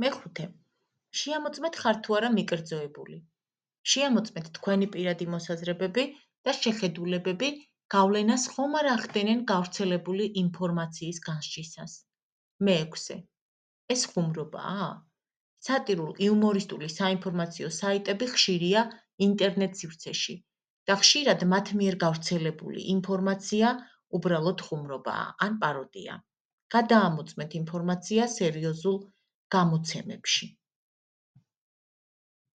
მეხუთე. შეამოწმეთ ხართ თუ არა მიკერძოებული. შეამოწმეთ თქვენი პირადი მოსაზრებები და შეხედულებები გავლენას ხომ არ ახდენენ გავრცელებული ინფორმაციის განსჯისას. მეექვსე. ეს ხუმრობაა? სატირულ-იუმორისტული საინფორმაციო საიტები ხშირია ინტერნეტ სივრცეში და ხშირად მათ მიერ გავრცელებული ინფორმაცია უბრალოდ ხუმრობაა ან პაროდია. გადაამოწმეთ ინფორმაცია სერიოზულ გამოცემებში.